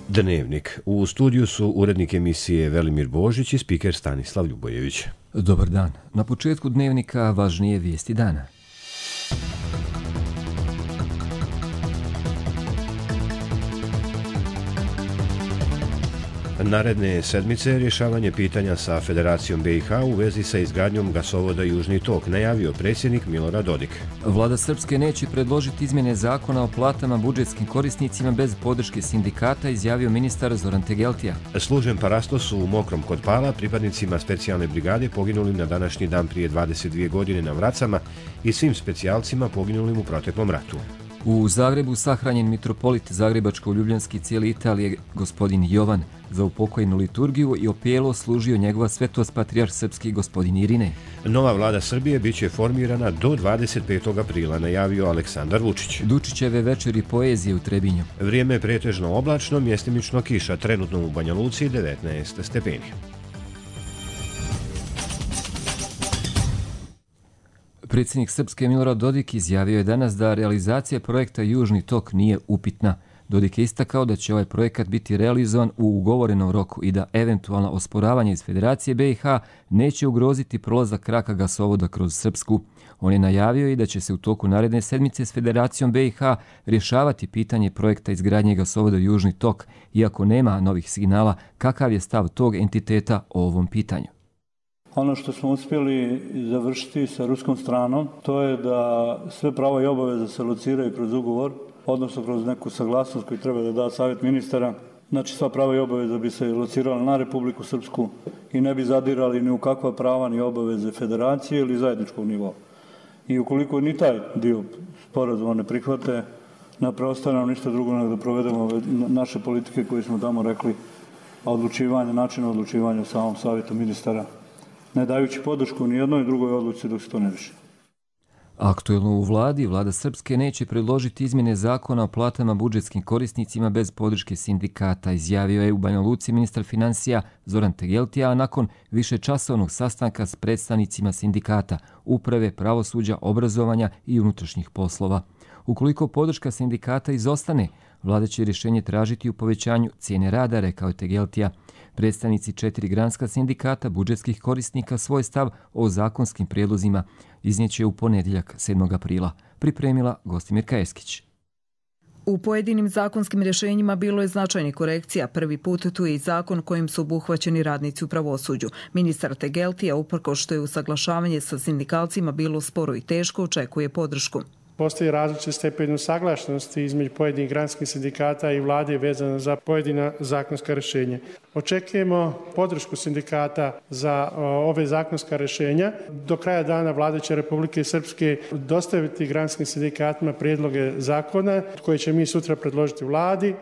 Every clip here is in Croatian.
Dnevnik. U studiju su urednik emisije Velimir Božić i spiker Stanislav Ljubojević. Dobar dan. Na početku Dnevnika važnije vijesti dana. Naredne sedmice rješavanje pitanja sa Federacijom BiH u vezi sa izgradnjom gasovoda Južni tok, najavio predsjednik Milorad Dodik. Vlada Srpske neće predložiti izmjene zakona o platama budžetskim korisnicima bez podrške sindikata, izjavio ministar Zoran Tegeltija. Služen parastos u Mokrom kod Pala pripadnicima specijalne brigade poginulim na današnji dan prije 22 godine na Vracama i svim specijalcima poginulim u proteklom ratu. U Zagrebu sahranjen mitropolit Zagrebačko-Ljubljanski cijele Italije gospodin Jovan. Za upokojenu liturgiju i opijelo služio njegova svetost patrijarh srpski gospodin Irine. Nova vlada Srbije biće formirana do 25. aprila, najavio Aleksandar Vučić. Dučićeve večeri poezije u Trebinju. Vrijeme je pretežno oblačno, mjestimično kiša, trenutno u Banja Luci 19 stepeni. Predsjednik Srpske Milorad Dodik izjavio je danas da realizacija projekta Južni tok nije upitna. Dodik je istakao da će ovaj projekat biti realizovan u ugovorenom roku i da eventualno osporavanje iz Federacije BiH neće ugroziti prolazak kraka gasovoda kroz Srpsku. On je najavio i da će se u toku naredne sedmice s Federacijom BiH rješavati pitanje projekta izgradnje gasovoda Južni tok, iako nema novih signala kakav je stav tog entiteta o ovom pitanju. Ono što smo uspjeli završiti sa ruskom stranom, to je da sve prava i obaveze se lociraju kroz ugovor, odnosno kroz neku saglasnost koju treba da da savjet ministara. Znači sva prava i obaveze bi se locirala na Republiku Srpsku i ne bi zadirali ni u kakva prava ni obaveze federacije ili zajedničkog nivoa. I ukoliko ni taj dio sporazuma ne prihvate, ne preostaje nam ništa drugo nego da provedemo naše politike koje smo tamo rekli, način odlučivanja u samom savjetu ministara, ne dajući podršku ni jednoj drugoj odluci dok se to ne riješi. Aktuelno u vladi, vlada Srpske neće predložiti izmjene zakona o platama budžetskim korisnicima bez podrške sindikata, izjavio je u Banja Luci ministar financija Zoran Tegeltija, a nakon višečasovnog sastanka s predstavnicima sindikata, uprave, pravosuđa, obrazovanja i unutrašnjih poslova. Ukoliko podrška sindikata izostane, vlada će rješenje tražiti u povećanju cijene rada, rekao je Tegeltija. Predstavnici 4 granska sindikata budžetskih korisnika svoj stav o zakonskim prijedlozima iznijeće u ponedjeljak 7. aprila, pripremila Gostimirka Eskić. U pojedinim zakonskim rješenjima bilo je značajnih korekcija. Prvi put tu je i zakon kojim su obuhvaćeni radnici u pravosuđu. Ministar Tegeltija, uprkos što je usaglašavanje sa sindikalcima bilo sporo i teško, očekuje podršku. Postoji različit stepen usaglašenosti između pojedinih granskih sindikata i vlade vezano za pojedina zakonska rješenja. Očekujemo podršku sindikata za ove zakonska rješenja. Do kraja dana vlada će Republike Srpske dostaviti granskim sindikatima prijedloge zakona koje će mi sutra predložiti vladi.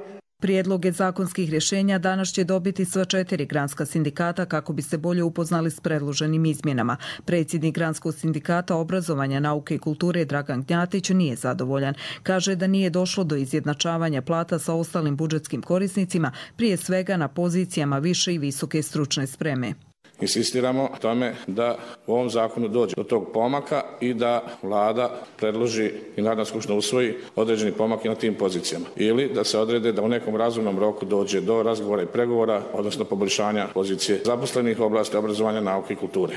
Prijedloge zakonskih rješenja danas će dobiti sva 4 granska sindikata kako bi se bolje upoznali s predloženim izmjenama. Predsjednik Granskog sindikata obrazovanja, nauke i kulture Dragan Gnjatić nije zadovoljan. Kaže da nije došlo do izjednačavanja plata sa ostalim budžetskim korisnicima, prije svega na pozicijama više i visoke stručne spreme. Insistiramo tome da u ovom zakonu dođe do tog pomaka i da vlada predloži i Narodna skupština usvoji određeni pomak i na tim pozicijama. Ili da se odrede da u nekom razumnom roku dođe do razgovora i pregovora, odnosno poboljšanja pozicije zaposlenih u oblasti obrazovanja, nauke i kulture.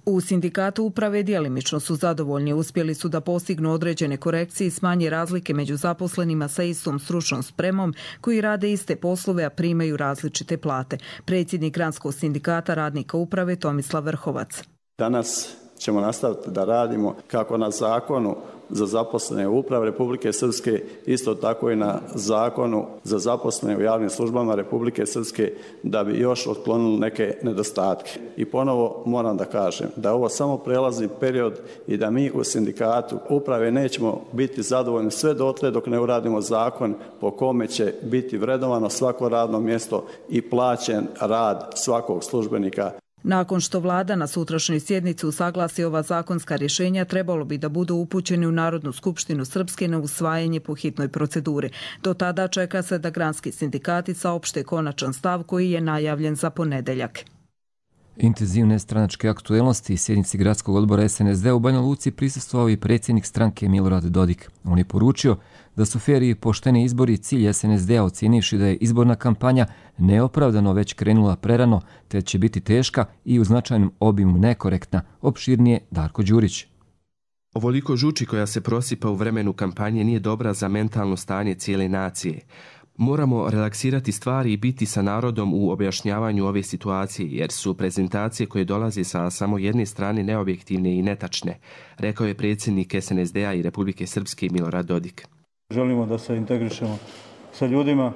U sindikatu uprave djelimično su zadovoljni. Uspjeli su da postignu određene korekcije i smanje razlike među zaposlenima sa istom stručnom spremom koji rade iste poslove, a primaju različite plate. Predsjednik Granskog sindikata radnika uprave Tomislav Vrhovac. Danas ćemo nastaviti da radimo kako na zakonu za zaposlene u upravi Republike Srpske, isto tako i na zakonu za zaposlene u javnim službama Republike Srpske, da bi još otklonili neke nedostatke. I ponovo moram da kažem da je ovo samo prelazni period i da mi u sindikatu uprave nećemo biti zadovoljni sve dotle dok ne uradimo zakon po kome će biti vrednovano svako radno mjesto i plaćen rad svakog službenika. Nakon što vlada na sutrašnjoj sjednici usaglasi ova zakonska rješenja, trebalo bi da budu upućeni u Narodnu skupštinu Srpske na usvajanje po hitnoj proceduri. Do tada čeka se da granski sindikati saopšte konačan stav koji je najavljen za ponedjeljak. Intenzivne stranačke aktuelnosti sjednici gradskog odbora SNSD u Banja Luci prisustvovao i predsjednik stranke Milorad Dodik. On je poručio da su fer i pošteni izbori cilj SNSD-a, ocijenivši da je izborna kampanja neopravdano već krenula prerano, te će biti teška i u značajnom obimu nekorektna. Opširnije Darko Đurić. Ovoliko žuči koja se prosipa u vremenu kampanje nije dobra za mentalno stanje cijele nacije. Moramo relaksirati stvari i biti sa narodom u objašnjavanju ove situacije, jer su prezentacije koje dolaze sa samo jedne strane neobjektivne i netačne, rekao je predsjednik SNSD-a i Republike Srpske Milorad Dodik. Želimo da se integrišemo sa ljudima,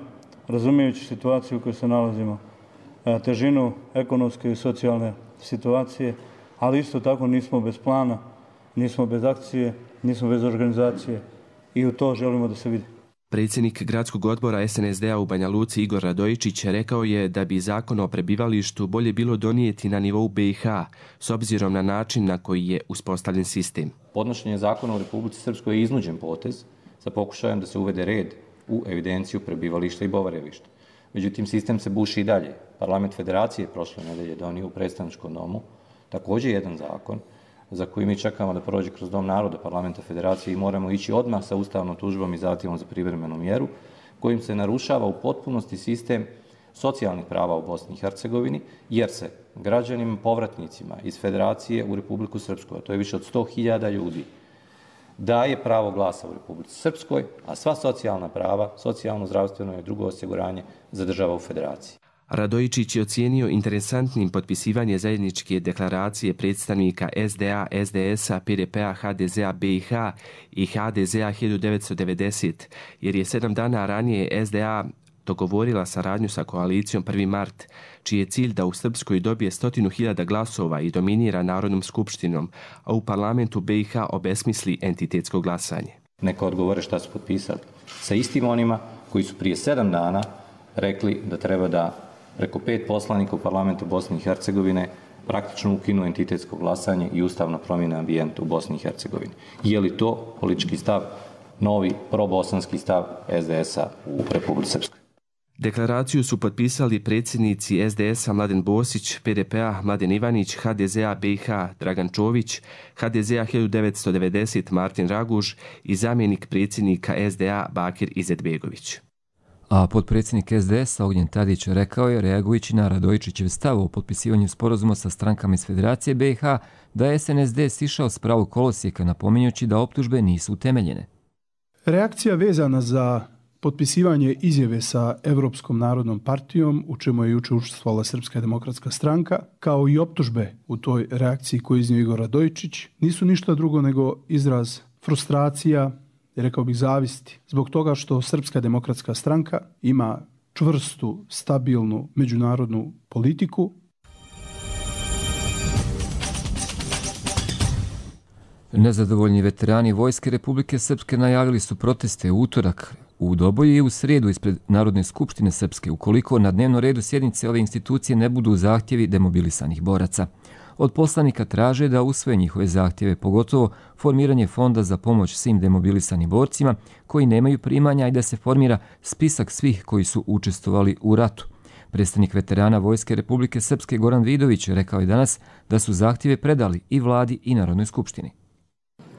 razumijući situaciju u kojoj se nalazimo, težinu ekonomske i socijalne situacije, ali isto tako nismo bez plana, nismo bez akcije, nismo bez organizacije i u to želimo da se vidi. Predsjednik gradskog odbora SNSD-a u Banja Luci Igor Radojičić rekao je da bi zakon o prebivalištu bolje bilo donijeti na nivou BiH s obzirom na način na koji je uspostavljen sistem. Podnošenje zakona u Republici Srpskoj je iznuđen potez sa pokušajem da se uvede red u evidenciju prebivališta i boravišta. Međutim, sistem se buši i dalje. Parlament Federacije prošle nedelje donio u predstavničkom domu također jedan zakon za koji mi čekamo da prođe kroz Dom naroda Parlamenta Federacije i moramo ići odmah sa ustavnom tužbom i zahtjevom za privremenu mjeru, kojim se narušava u potpunosti sistem socijalnih prava u Bosni i Hercegovini, jer se građanima povratnicima iz Federacije u Republiku Srpsku, a to je više od 100.000 ljudi, daje pravo glasa u Republici Srpskoj, a sva socijalna prava, socijalno, zdravstveno i drugo osiguranje zadržava u Federaciji. Radojičić je ocijenio interesantnim potpisivanje zajedničke deklaracije predstavnika SDA, SDS-a, PDP-a, HDZ-a BiH i HDZ-a 1990, jer je 7 dana ranije SDA dogovorila saradnju sa koalicijom 1. mart, čiji je cilj da u Srpskoj dobije 100.000 glasova i dominira Narodnom skupštinom, a u parlamentu BiH obesmisli entitetsko glasanje. Neka odgovore šta su potpisali. Sa istim onima koji su prije 7 dana rekli da treba da preko 5 poslanika u parlamentu Bosne i Hercegovine praktično ukinu entitetsko glasanje i ustavno promjene ambijenta u Bosni i Hercegovini. Je li to politički stav, novi probosanski stav SDS-a u Republici Srpskoj? Deklaraciju su potpisali predsjednici SDS-a Mladen Bosić, PDP-a Mladen Ivanić, HDZ-a BiH Dragan Čović, HDZ-a 1990 Martin Raguž i zamjenik predsjednika SDA Bakir Izetbegović. A potpredsjednik SDS-a Ognjen Tadić rekao je, reagujući na Radojičićev stav o potpisivanju sporazuma sa strankama iz Federacije BiH, da je SNSD sišao s pravog kolosijeka, napominjući da optužbe nisu utemeljene. Reakcija vezana za potpisivanje izjave sa Evropskom narodnom partijom, u čemu je juče učestvovala Srpska demokratska stranka, kao i optužbe u toj reakciji koju iznio Igor Radojičić, nisu ništa drugo nego izraz frustracija, rekao bih zavisti, zbog toga što Srpska demokratska stranka ima čvrstu, stabilnu međunarodnu politiku. Nezadovoljni veterani Vojske Republike Srpske najavili su proteste u utorak u Doboju i u srijedu ispred Narodne skupštine Srpske, ukoliko na dnevnom redu sjednice ove institucije ne budu zahtjevi demobilisanih boraca. Od poslanika traže da usvoje njihove zahtjeve, pogotovo formiranje fonda za pomoć svim demobilisanim borcima koji nemaju primanja i da se formira spisak svih koji su učestvovali u ratu. Predstavnik veterana Vojske Republike Srpske Goran Vidović rekao je danas da su zahtjeve predali i vladi i Narodnoj skupštini.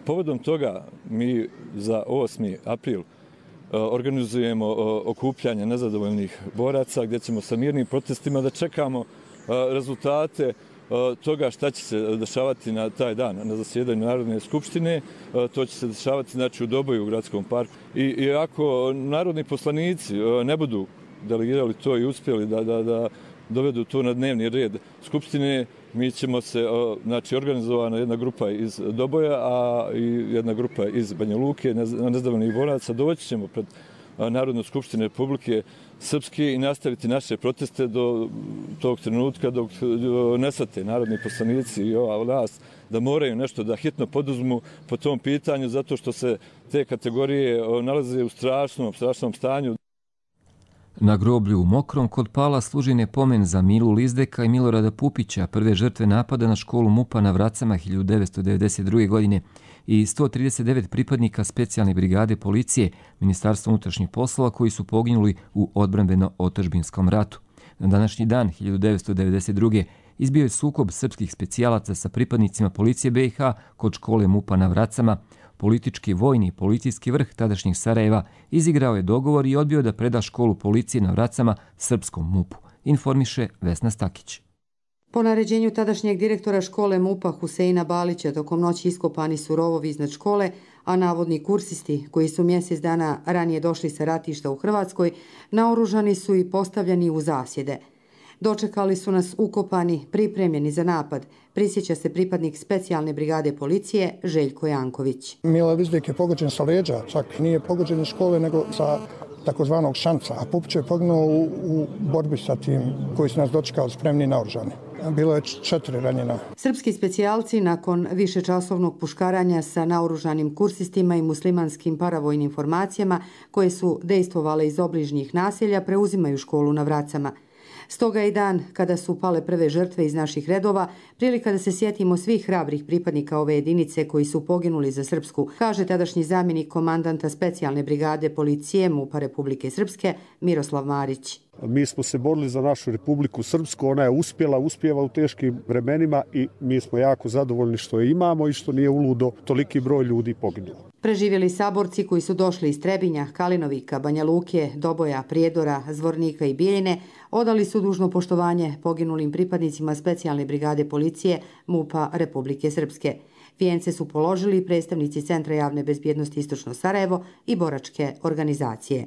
Povodom toga mi za 8. april organizujemo okupljanje nezadovoljnih boraca gdje ćemo sa mirnim protestima da čekamo rezultate toga šta će se dešavati na taj dan na zasjedanju Narodne skupštine. To će se dešavati znači, u Doboju u gradskom parku. I ako narodni poslanici ne budu delegirali to i uspjeli da dovedu to na dnevni red skupštine, mi ćemo se, znači organizovana jedna grupa iz Doboja, a i jedna grupa iz Banja Luke, nezadovoljnih boraca, doći ćemo pred Narodnu skupštinu Republike Srpske i nastaviti naše proteste do tog trenutka dok ne shvate narodni poslanici i ova vlast da moraju nešto da hitno poduzmu po tom pitanju, zato što se te kategorije nalaze u strašnom stanju. Na groblju u Mokrom kod Pala služen je pomen za Milu Lizdeka i Milorada Pupića, prve žrtve napada na školu MUP-a na Vracama 1992. godine i 139 pripadnika specijalne brigade policije Ministarstva unutrašnjih poslova koji su poginuli u odbrambeno-otadžbinskom ratu. Na današnji dan 1992. izbio je sukob srpskih specijalaca sa pripadnicima policije BiH kod škole MUP-a na Vracama. Politički, vojni i policijski vrh tadašnjeg Sarajeva izigrao je dogovor i odbio da preda školu policije na Vracama srpskom MUP-u, informiše Vesna Stakić. Po naređenju tadašnjeg direktora škole MUP-a Huseina Balića tokom noći iskopani su rovovi iznad škole, a navodni kursisti, koji su mjesec dana ranije došli sa ratišta u Hrvatskoj, naoružani su i postavljeni u zasjede. Dočekali su nas ukopani, pripremljeni za napad, prisjeća se pripadnik specijalne brigade policije Željko Janković. Mile Vizdik je pogođen sa leđa, čak nije pogođen iz škole nego sa takozvanog šanca, a Pupić je poginuo u borbi sa tim koji su nas dočekali spremni naoružani. Bilo je 4 ranjena. Srpski specijalci nakon višečasovnog puškaranja sa naoružanim kursistima i muslimanskim paravojnim formacijama koje su dejstvovale iz obližnjih naselja preuzimaju školu na Vracama. Stoga i dan kada su pale prve žrtve iz naših redova, prilika da se sjetimo svih hrabrih pripadnika ove jedinice koji su poginuli za Srpsku, kaže tadašnji zamjenik komandanta specijalne brigade policije MUP-a Republike Srpske Miroslav Marić. Mi smo se borili za našu Republiku Srpsku, ona je uspjeva u teškim vremenima i mi smo jako zadovoljni što je imamo i što nije uludo toliki broj ljudi poginulo. Preživjeli saborci koji su došli iz Trebinja, Kalinovika, Banja Luke, Doboja, Prijedora, Zvornika i Bijeljine odali su dužno poštovanje poginulim pripadnicima specijalne brigade policije MUP-a Republike Srpske. Vijence su položili predstavnici Centra javne bezbjednosti Istočno Sarajevo i boračke organizacije.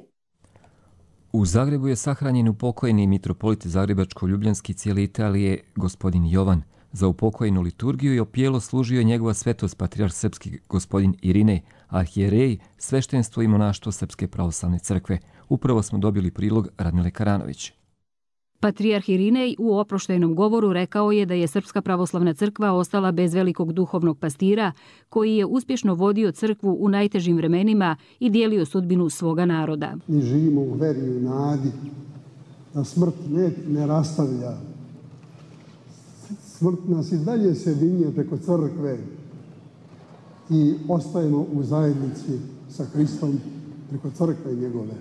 U Zagrebu je sahranjen upokojeni mitropolit Zagrebačko-Ljubljanski cijele Italije, gospodin Jovan. Za upokojenu liturgiju i opijelo služio je njegova svetost patrijarh srpski gospodin Irinej, arhijerej, sveštenstvo i monaštvo Srpske pravoslavne crkve. Upravo smo dobili prilog Radmile Karanović. Patrijarh Irinej u oproštajnom govoru rekao je da je Srpska pravoslavna crkva ostala bez velikog duhovnog pastira koji je uspješno vodio crkvu u najtežim vremenima i dijelio sudbinu svoga naroda. Mi živimo u veri i u nadi da smrt ne rastavlja. Smrt nas i dalje se vinje preko crkve i ostajemo u zajednici sa Hristom preko crkve njegove.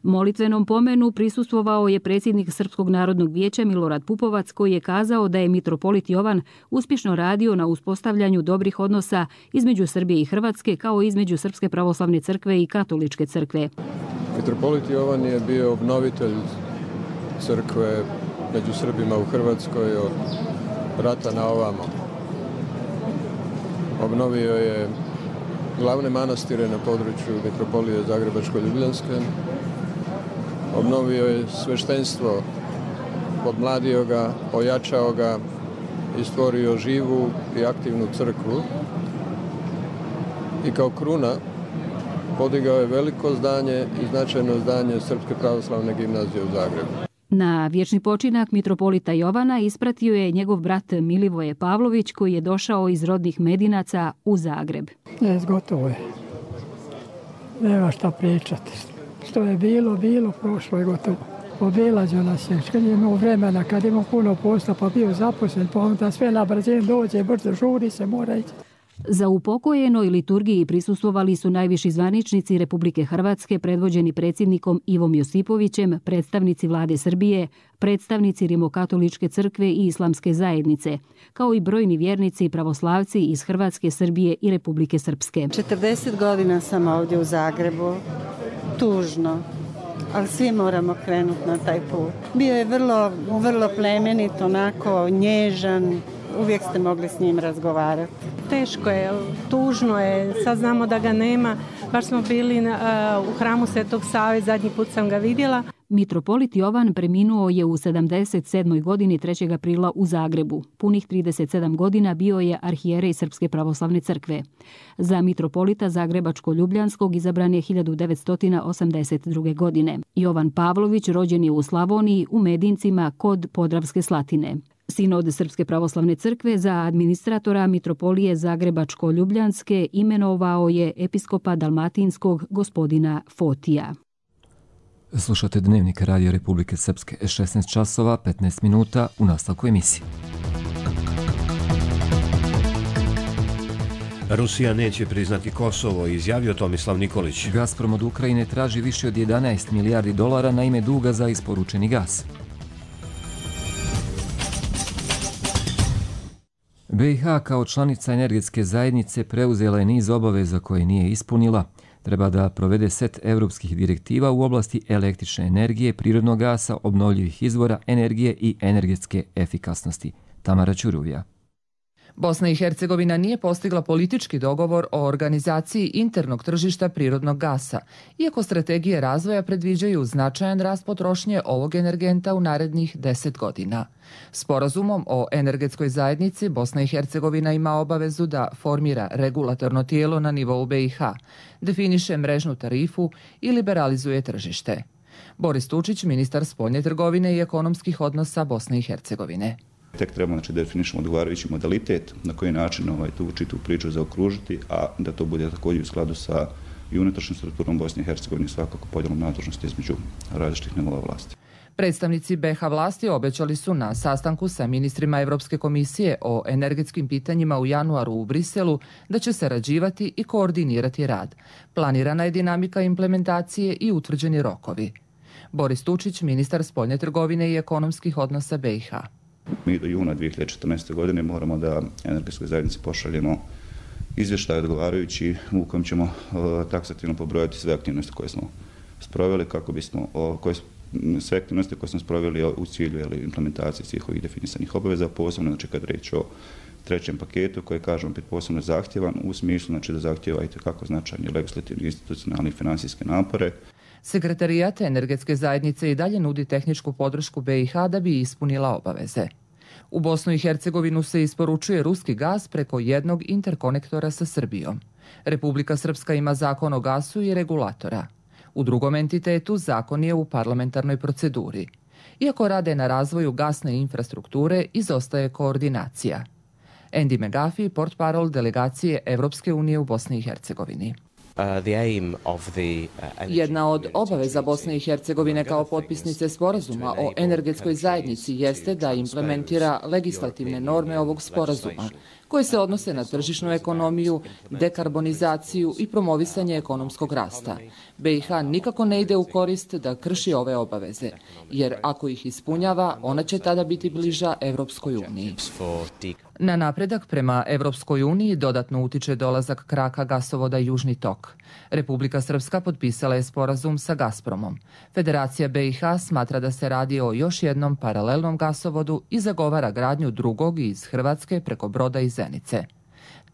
Molitvenom pomenu prisustvovao je predsjednik Srpskog narodnog vijeća Milorad Pupovac koji je kazao da je mitropolit Jovan uspješno radio na uspostavljanju dobrih odnosa između Srbije i Hrvatske kao i između Srpske pravoslavne crkve i Katoličke crkve. Mitropolit Jovan je bio obnovitelj crkve među Srbima u Hrvatskoj od rata na ovamo. Obnovio je glavne manastire na području mitropolije Zagrebačko-Ljubljanske. Obnovio je sveštenstvo, podmladio ga, ojačao ga i stvorio živu i aktivnu crkvu. I kao kruna podigao je veliko zdanje i značajno zdanje Srpske pravoslavne gimnazije u Zagrebu. Na vječni počinak mitropolita Jovana ispratio je njegov brat Milivoje Pavlović koji je došao iz rodnih Medinaca u Zagreb. Gotovo je. Nema šta pričati. Što je bilo, prošlo je gotovo. Obilazio nas je, kad je imao vremena, kad imao puno posla, pa bio zaposlen, pa onda sve na brzinu dođe, brzo žuri se, mora ići. Za upokojenoj liturgiji prisustvovali su najviši zvaničnici Republike Hrvatske predvođeni predsjednikom Ivom Josipovićem, predstavnici vlade Srbije, predstavnici Rimokatoličke crkve i Islamske zajednice, kao i brojni vjernici i pravoslavci iz Hrvatske, Srbije i Republike Srpske. 40 godina sam ovdje u Zagrebu, tužno, ali svi moramo krenuti na taj put. Bio je vrlo plemenit, onako nježan, uvijek ste mogli s njim razgovarati. Teško je, tužno je, sad znamo da ga nema. Baš smo bili u hramu Svetog Save, zadnji put sam ga vidjela. Mitropolit Jovan preminuo je u 77. godini 3. aprila u Zagrebu. Punih 37 godina bio je arhijerej Srpske pravoslavne crkve. Za mitropolita Zagrebačko-Ljubljanskog izabran je 1982. godine. Jovan Pavlović rođen je u Slavoniji, u Medincima, kod Podravske Slatine. Sinod Srpske pravoslavne crkve za administratora mitropolije Zagrebačko-Ljubljanske imenovao je episkopa Dalmatinskog gospodina Fotija. Slušate Dnevnik Radio Republike Srpske, 16 časova, 15 minuta u nastavku emisije. Rusija neće priznati Kosovo, izjavio Tomislav Nikolić. Gazprom od Ukrajine traži više od 11 milijardi dolara na ime duga za isporučeni gas. BiH kao članica energetske zajednice preuzela je niz obaveza koje nije ispunila. Treba da provede set evropskih direktiva u oblasti električne energije, prirodnog gasa, obnovljivih izvora energije i energetske efikasnosti. Tamara Ćuruvija. Bosna i Hercegovina nije postigla politički dogovor o organizaciji internog tržišta prirodnog gasa, iako strategije razvoja predviđaju značajan rast potrošnje ovog energenta u narednih 10 godina. Sporazumom o energetskoj zajednici Bosna i Hercegovina ima obavezu da formira regulatorno tijelo na nivou BiH, definiše mrežnu tarifu i liberalizuje tržište. Boris Tučić, ministar spoljne trgovine i ekonomskih odnosa Bosne i Hercegovine. Tek trebamo da definišemo odgovarajući modalitet na koji način tu čitu priču zaokružiti, a da to bude također u skladu sa i unutrašnjom strukturom Bosne i Hercegovine, svakako podjelom nadležnosti između različitih nivoa vlasti. Predstavnici BiH vlasti obećali su na sastanku sa ministrima Evropske komisije o energetskim pitanjima u januaru u Briselu da će sarađivati i koordinirati rad. Planirana je dinamika implementacije i utvrđeni rokovi. Boris Tučić, ministar spoljne trgovine i ekonomskih odnosa BiH. Mi do juna 2014. godine moramo da energetskoj zajednici pošaljemo izvještaj odgovarajući u kojem ćemo taksativno pobrojati sve aktivnosti koje smo sproveli, kako bismo sve aktivnosti koje smo sproveli u cilju implementacije svih ovih definisanih obaveza, posebno znači kad reč o trećem paketu koji kažemo opet posebno zahtjevan u smislu znači da zahtjeva itekako značajni legislativni, institucionalni i finansijske napore. Sekretarijat energetske zajednice i dalje nudi tehničku podršku BiH da bi ispunila obaveze. U Bosnu i Hercegovinu se isporučuje ruski gas preko jednog interkonektora sa Srbijom. Republika Srpska ima zakon o gasu i regulatora. U drugom entitetu zakon je u parlamentarnoj proceduri. Iako rade na razvoju gasne infrastrukture, izostaje koordinacija. Andy McGuffey, portparol delegacije Evropske unije u Bosni i Hercegovini. Jedna od obaveza Bosne i Hercegovine kao potpisnice sporazuma o energetskoj zajednici jeste da implementira legislativne norme ovog sporazuma, koje se odnose na tržišnu ekonomiju, dekarbonizaciju i promovisanje ekonomskog rasta. BiH nikako ne ide u korist da krši ove obaveze, jer ako ih ispunjava, ona će tada biti bliža Evropskoj uniji. Na napredak prema Evropskoj uniji dodatno utiče dolazak kraka gasovoda Južni tok. Republika Srpska potpisala je sporazum sa Gazpromom. Federacija BiH smatra da se radi o još jednom paralelnom gasovodu i zagovara gradnju drugog iz Hrvatske preko Broda i Zenice.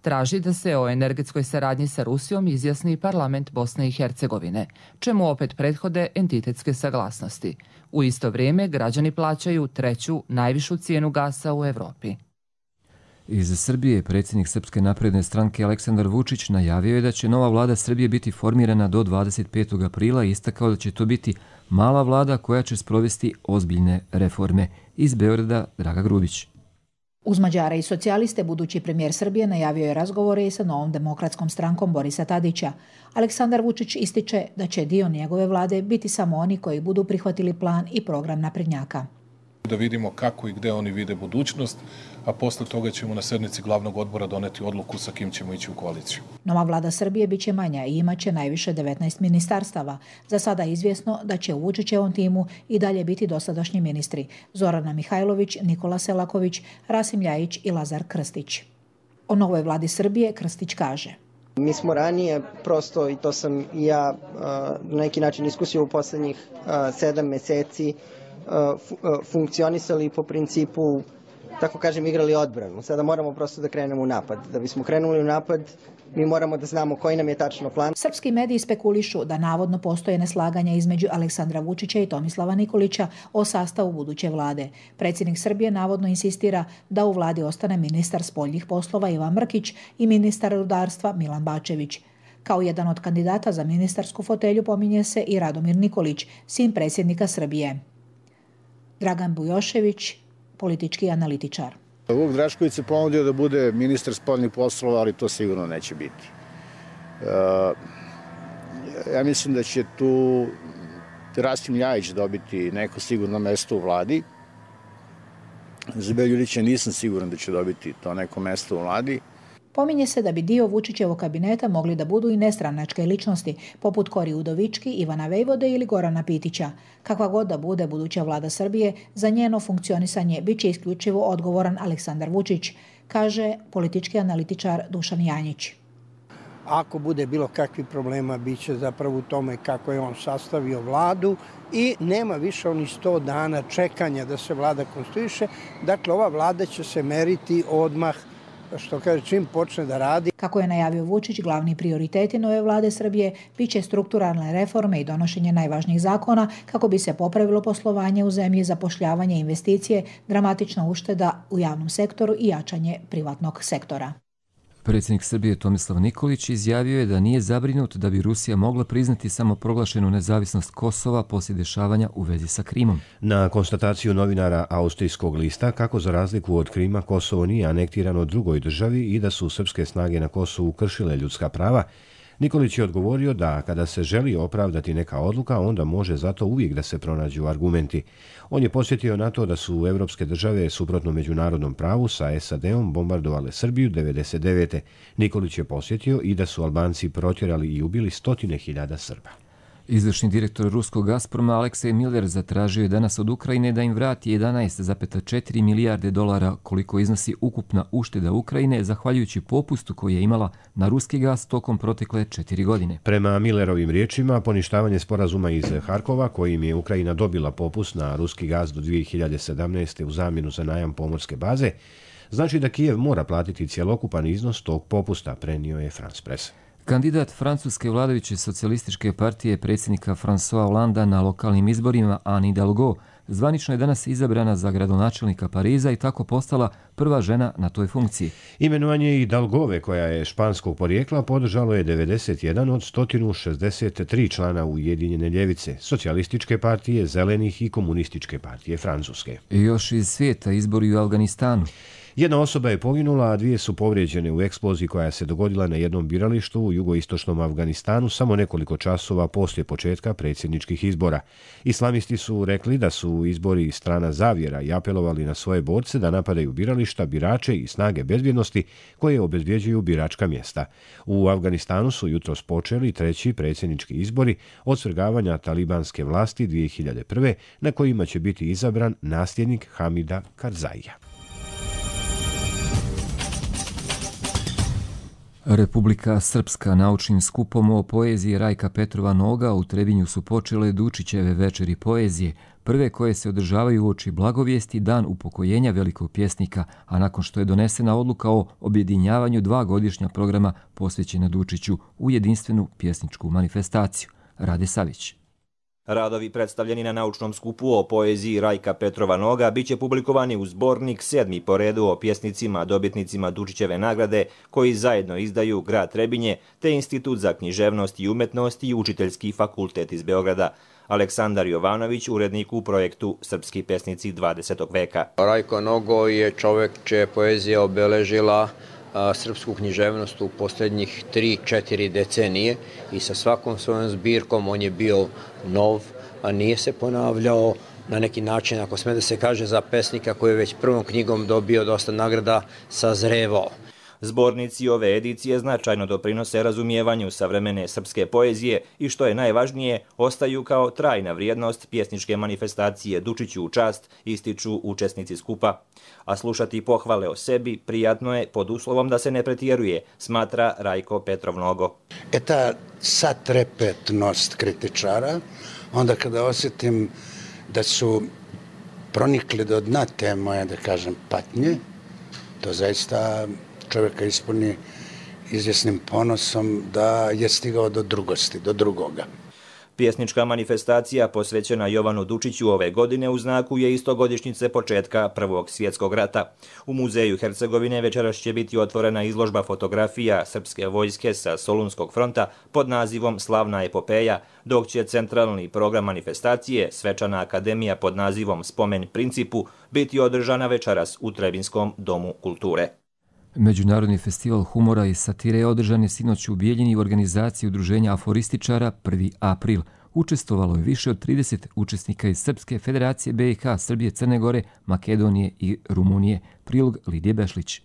Traži da se o energetskoj saradnji sa Rusijom izjasni parlament Bosne i Hercegovine, čemu opet prethode entitetske saglasnosti. U isto vrijeme građani plaćaju treću najvišu cijenu gasa u Evropi. Iz Srbije predsjednik Srpske napredne stranke Aleksandar Vučić najavio je da će nova vlada Srbije biti formirana do 25. aprila i istakao da će to biti mala vlada koja će sprovesti ozbiljne reforme. Iz Beograda Draga Grubić. Uz Mađare i socijaliste budući premijer Srbije najavio je razgovore i sa novom demokratskom strankom Borisa Tadića. Aleksandar Vučić ističe da će dio njegove vlade biti samo oni koji budu prihvatili plan i program naprednjaka. Da vidimo kako i gde oni vide budućnost, a posle toga ćemo na sednici glavnog odbora doneti odluku sa kim ćemo ići u koaliciju. Nova vlada Srbije biće manja i imaće najviše 19 ministarstava. Za sada je izvjesno da će u Vučićevom timu i dalje biti dosadašnji ministri Zorana Mihajlović, Nikola Selaković, Rasim Ljajić i Lazar Krstić. O novoj vladi Srbije Krstić kaže: Mi smo ranije, prosto, i to sam i ja na neki način iskusio u poslednjih 7 meseci, funkcionisali po principu, tako kažem, igrali odbranu. Sada moramo prosto da krenemo u napad. Da bismo krenuli u napad, mi moramo da znamo koji nam je tačno plan. Srpski mediji spekulišu da navodno postoje neslaganja između Aleksandra Vučića i Tomislava Nikolića o sastavu buduće vlade. Predsjednik Srbije navodno insistira da u vladi ostane ministar spoljnih poslova Ivan Mrkić i ministar rudarstva Milan Bačević. Kao jedan od kandidata za ministarsku fotelju pominje se i Radomir Nikolić, sin predsjednika Srbije. Dragan Bujošević, politički analitičar. Vuk Drašković se ponudio da bude ministar spoljnih poslova, ali to sigurno neće biti. Ja mislim da će tu Rasim Ljajić dobiti neko sigurno mesto u vladi. Za Beljulića nisam siguran da će dobiti to neko mesto u vladi. Pominje se da bi dio Vučićevog kabineta mogli da budu i nestranačke ličnosti, poput Kori Udovički, Ivana Vejvode ili Gorana Pitića. Kakva god da bude buduća vlada Srbije, za njeno funkcionisanje biće isključivo odgovoran Aleksandar Vučić. kaže politički analitičar Dušan Janjić. Ako bude bilo kakvih problema, bit će zapravo u tome kako je on sastavio vladu i nema više onih 100 dana čekanja da se vlada konstituiše. Dakle, ova vlada će se meriti odmah, što kaže, čim počne da radi. Kako je najavio Vučić, glavni prioriteti nove vlade Srbije biće strukturalne reforme i donošenje najvažnijih zakona kako bi se popravilo poslovanje u zemlji, zapošljavanje, investicije, dramatična ušteda u javnom sektoru i jačanje privatnog sektora. Predsjednik Srbije Tomislav Nikolić izjavio je da nije zabrinut da bi Rusija mogla priznati samoproglašenu nezavisnost Kosova poslije dešavanja u vezi sa Krimom. Na konstataciju novinara austrijskog lista kako za razliku od Krima Kosovo nije anektirano drugoj državi i da su srpske snage na Kosovu kršile ljudska prava, Nikolić je odgovorio da kada se želi opravdati neka odluka, onda može zato uvijek da se pronađu argumenti. On je podsjetio na to da su evropske države suprotno međunarodnom pravu sa SAD-om bombardovale Srbiju 1999. Nikolić je podsjetio i da su Albanci protjerali i ubili 100.000 Srba. Izvršni direktor ruskog Gazproma Aleksej Miller zatražio je danas od Ukrajine da im vrati 11,4 milijarde dolara koliko iznosi ukupna ušteda Ukrajine zahvaljujući popustu koji je imala na ruski gaz tokom protekle 4 godine. Prema Millerovim riječima, poništavanje sporazuma iz Harkova kojim je Ukrajina dobila popust na ruski gaz do 2017. u zamjenu za najam pomorske baze, znači da Kijev mora platiti cjelokupan iznos tog popusta, prenio je France Press. Kandidat francuske vladajuće socijalističke partije predsjednika François Hollanda na lokalnim izborima Anne Hidalgo zvanično je danas izabrana za gradonačelnika Pariza i tako postala prva žena na toj funkciji. Imenovanje Hidalgove, koja je španskog porijekla, podržalo je 91 od 163 člana Ujedinjene ljevice, socijalističke partije, zelenih i komunističke partije Francuske. I još iz svijeta izbori u Afganistanu. Jedna osoba je poginula, a 2 su povrijeđene u eksploziji koja se dogodila na jednom biralištu u jugoistočnom Afganistanu samo nekoliko časova poslije početka predsjedničkih izbora. Islamisti su rekli da su izbori strana zavjera i apelovali na svoje borce da napadaju birališta, birače i snage bezbjednosti koje obezbjeđuju biračka mjesta. U Afganistanu su jutros počeli 3. predsjednički izbori od svrgavanja talibanske vlasti 2001. na kojima će biti izabran nasljednik Hamida Karzaija. Republika Srpska naučnim skupom o poeziji Rajka Petrova Noga u Trebinju su počele Dučićeve večeri poezije, prve koje se održavaju uoči Blagovijesti, dan upokojenja velikog pjesnika, a nakon što je donesena odluka o objedinjavanju 2 godišnja programa posvećena Dučiću u jedinstvenu pjesničku manifestaciju. Rade Savić. Radovi predstavljeni na naučnom skupu o poeziji Rajka Petrova Noga biće publikovani u zbornik 7. po redu o pjesnicima dobitnicima Dučićeve nagrade koji zajedno izdaju grad Trebinje te Institut za književnost i umetnost i Učiteljski fakultet iz Beograda. Aleksandar Jovanović, urednik u projektu Srpski pesnici 20. veka. Rajko Nogo je čovjek čija je poezija obeležila srpsku književnost u posljednjih 3-4 decenije i sa svakom svojom zbirkom on je bio nov, a nije se ponavljao na neki način, ako sme da se kaže, za pesnika koji je već prvom knjigom dobio dosta nagrada, sazrevao. Zbornici ove edicije značajno doprinose razumijevanju savremene srpske poezije i što je najvažnije, ostaju kao trajna vrijednost pjesničke manifestacije Dučiću u čast, ističu učesnici skupa. A slušati pohvale o sebi prijatno je pod uslovom da se ne pretjeruje, smatra Rajko Petrov Nogo. Ta satrepetnost kritičara, onda kada osjetim da su pronikli do dna te moje, da kažem, patnje, to zaista čovjeka ispuni izvjesnim ponosom da je stigao do drugosti, do drugoga. Pjesnička manifestacija posvećena Jovanu Dučiću ove godine u znaku je istogodišnjice početka Prvog svjetskog rata. U Muzeju Hercegovine večeras će biti otvorena izložba fotografija srpske vojske sa Solunskog fronta pod nazivom Slavna epopeja, dok će centralni program manifestacije, Svečana akademija pod nazivom Spomen principu, biti održana večeras u Trebinskom domu kulture. Međunarodni festival humora i satire je održan je sinoć u Bijeljini u organizaciji udruženja aforističara 1. april. Učestvovalo je više od 30 učesnika iz Srpske federacije BiH, Srbije, Crne Gore, Makedonije i Rumunije. Prilog Lidije Bešlić.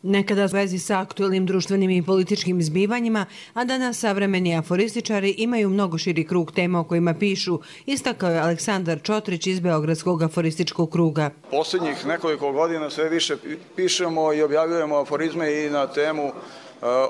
Nekada u vezi sa aktuelnim društvenim i političkim zbivanjima, a danas savremeni aforističari imaju mnogo širi krug tema o kojima pišu, istakao je Aleksandar Čotrić iz Beogradskog aforističkog kruga. Posljednjih nekoliko godina sve više pišemo i objavljujemo aforizme i na temu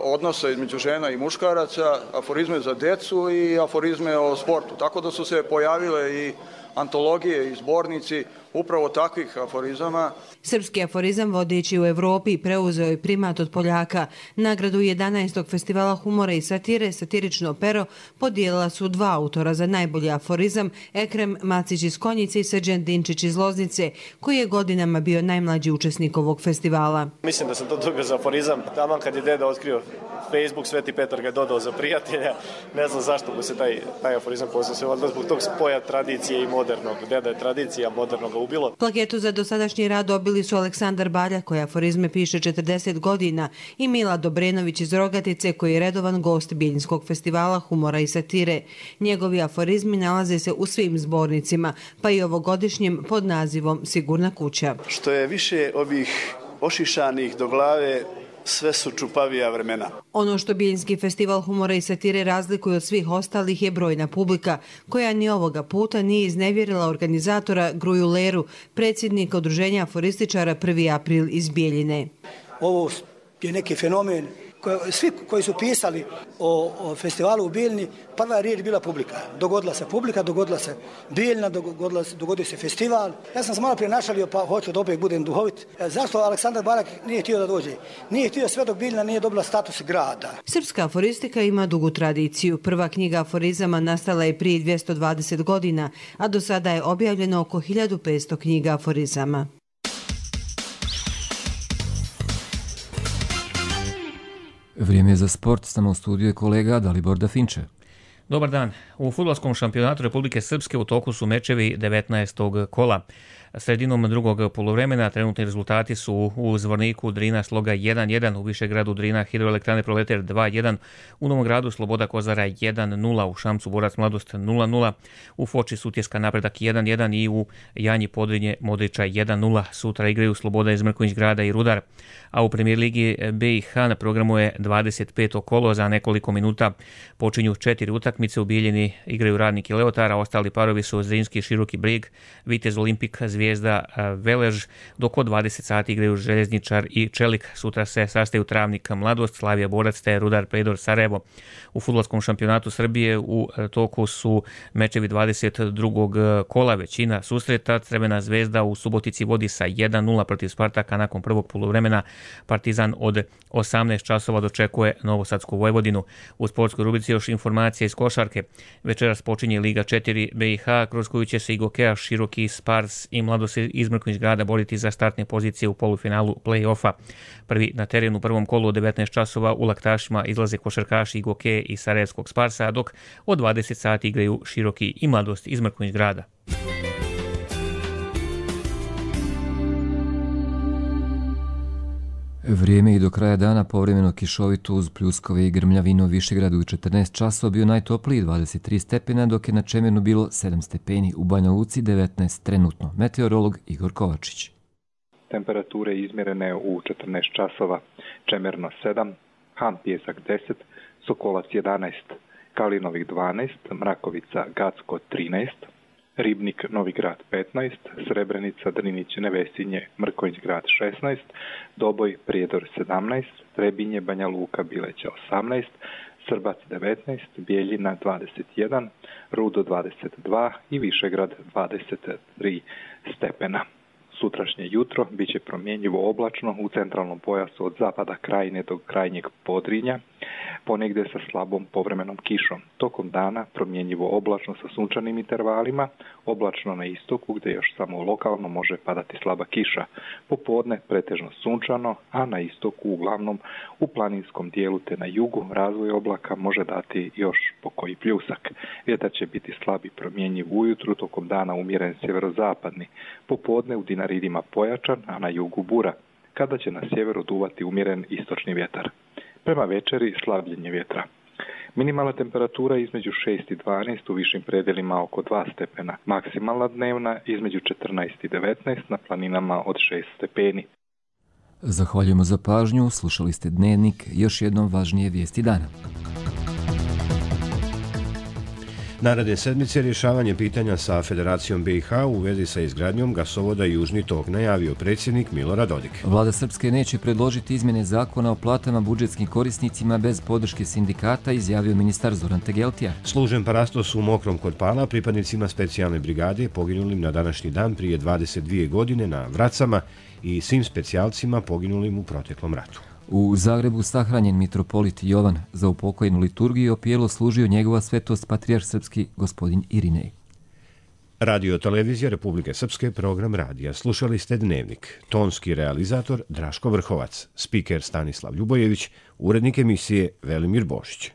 odnosa između žena i muškaraca, aforizme za decu i aforizme o sportu. Tako da su se pojavile i antologije i zbornici upravo takvih aforizama. Srpski aforizam vodeći u Evropi preuzeo je primat od Poljaka. Nagradu 11. festivala humora i satire Satirično pero podijelila su dva autora za najbolji aforizam, Ekrem Macić iz Konjice i Srđan Dinčić iz Loznice, koji je godinama bio najmlađi učesnik ovog festivala. Mislim da sam to dobio za aforizam. Taman kad je deda otkrio Facebook, Sveti Petar ga je dodao za prijatelja. Ne znam zašto mu se taj aforizam poslao se valjda zbog tog spoja tradicije i modernog. Deda je tradicija, modernog ga ubilo. Plaketu za dosadašnji rad dobili su Aleksandar Balja, koji aforizme piše 40 godina, i Mila Dobrenović iz Rogatice, koji je redovan gost Bijeljinskog festivala humora i satire. Njegovi aforizmi nalaze se u svim zbornicima, pa i ovogodišnjem pod nazivom Sigurna kuća. Što je više ovih ošišanih do glave, sve su čupavija vremena. Ono što Bijeljinski festival humora i satire razlikuje od svih ostalih je brojna publika, koja ni ovoga puta nije iznevjerila organizatora Gruju Leru, predsjednika Udruženja aforističara 1. april iz Bijeljine. Ovo je neki fenomen. Svi koji su pisali o festivalu u Bijeljini, prva riječ bila publika. Dogodila se publika, dogodila se Bijeljina, dogodio se festival. Ja sam se malo prije našalio, pa hoću da opet budem duhovit. Zašto Aleksandar Barak nije htio da dođe? Nije htio sve dok Bijeljina nije dobila status grada. Srpska aforistika ima dugu tradiciju. Prva knjiga aforizama nastala je prije 220 godina, a do sada je objavljeno oko 1500 knjiga aforizama. Vrijeme je za sport, samo u studiju je kolega Dalibor Dafinče. Dobar dan. U fudbalskom šampionatu Republike Srpske u toku su mečevi 19. kola. Sredinom drugog poluvremena trenutni rezultati su u Zvorniku Drina Sloga 1-1, u Višegradu Drina Hidroelektrane Proleter 2-1, u Novom Gradu Sloboda Kozara 1-0, u Šamcu Borac Mladost 0-0, u Foči Sutjeska Napredak 1-1 i u Janji Podrinje Modriča 1-0. Sutra igraju Sloboda iz Mrkonjić Grada i Rudar. A u Premijer Ligi BiH na programu je 25. kolo. Za nekoliko minuta počinju 4 utakmice. U Bijeljini igraju Radnik i Leotar, a ostali parovi su Zrinski Široki Brig, Vitez Olimpik, Zvijezda Velež, dok od 20 sati igraju Željezničar i Čelik. Sutra se sastaju Travnik Mladost, Slavija Borac te Rudar Predor Sarajevo. U fudbalskom šampionatu Srbije u toku su mečevi 22. kola. Većina susreta. Crvena Zvezda u Subotici vodi sa 1-0 protiv Spartaka nakon prvog poluvremena. Partizan od 18 časova dočekuje Novosadsku Vojvodinu. U sportskoj rubrici još informacija iz košarke. Večeras počinje Liga 4 BiH, kroz koju će se i Gokeja, Široki, Spars i Mladost iz Mrkonjić Grada boriti za startne pozicije u polufinalu play-offa. Prvi na terenu u prvom kolu od 19 časova u Laktašima izlaze košarkaši i Gokeje iz Sarajevskog Sparsa, dok od 20 sati igraju Široki i Mladost iz Mrkonjić Grada. Vrijeme i do kraja dana povremeno kišovito uz pljuskove i grmljavinu. U Višegradu u 14 časova bio najtopliji 23 stepena, dok je na Čemernu bilo 7 stepeni, u Banja Luci 19 trenutno. Meteorolog Igor Kovačić. Temperature izmjerene u 14 časova. Čemerno 7, Han Pjesak 10, Sokolac 11, Kalinovik 12, Mrakovica Gacko 13, Ribnik Novi Grad 15, Srebrenica Drinić Nevesinje Mrkonjić Grad 16, Doboj Prijedor 17, Trebinje Banja Luka Bileća 18, Srbac 19, Bijeljina 21, Rudo 22 i Višegrad 23 stepena. Sutrašnje jutro bit će promjenjivo oblačno u centralnom pojasu od zapada Krajine do krajnjeg Podrinja, ponegdje sa slabom povremenom kišom. Tokom dana promjenjivo oblačno sa sunčanim intervalima, oblačno na istoku gdje još samo lokalno može padati slaba kiša. Popodne pretežno sunčano, a na istoku uglavnom u planinskom dijelu te na jugu razvoj oblaka može dati još pokoji pljusak. Vjetar će biti slab i promjenjiv ujutru, tokom dana umjeren sjeverozapadni. Popodne u Dinaridima pojačan, a na jugu bura, kada će na sjeveru duvati umjeren istočni vjetar. Prema večeri slabljenje vjetra. Minimalna temperatura između 6 i 12, u višim predjelima oko 2 stepena. Maksimalna dnevna između 14 i 19, na planinama od 6 stepeni. Zahvaljujemo za pažnju, slušali ste Dnevnik, još jednom važnije vijesti dana. Naredne sedmice rješavanje pitanja sa Federacijom BiH u vezi sa izgradnjom gasovoda Južni tok, najavio predsjednik Milorad Dodik. Vlada Srpske neće predložiti izmjene zakona o platama budžetskim korisnicima bez podrške sindikata, izjavio ministar Zoran Tegeltija. Služen parastos u Mokrom kod Pala pripadnicima specijalne brigade poginulim na današnji dan prije 22 godine na Vracama i svim specijalcima poginulim u proteklom ratu. U Zagrebu sahranjen mitropolit Jovan. Za upokojenu liturgiju opijelo služio njegova svetost patrijarh srpski gospodin Irinej. Radio televizija Republike Srpske, program radija. Slušali ste Dnevnik. Tonski realizator Draško Vrhovac, spiker Stanislav Ljubojević, urednik emisije Velimir Bošić.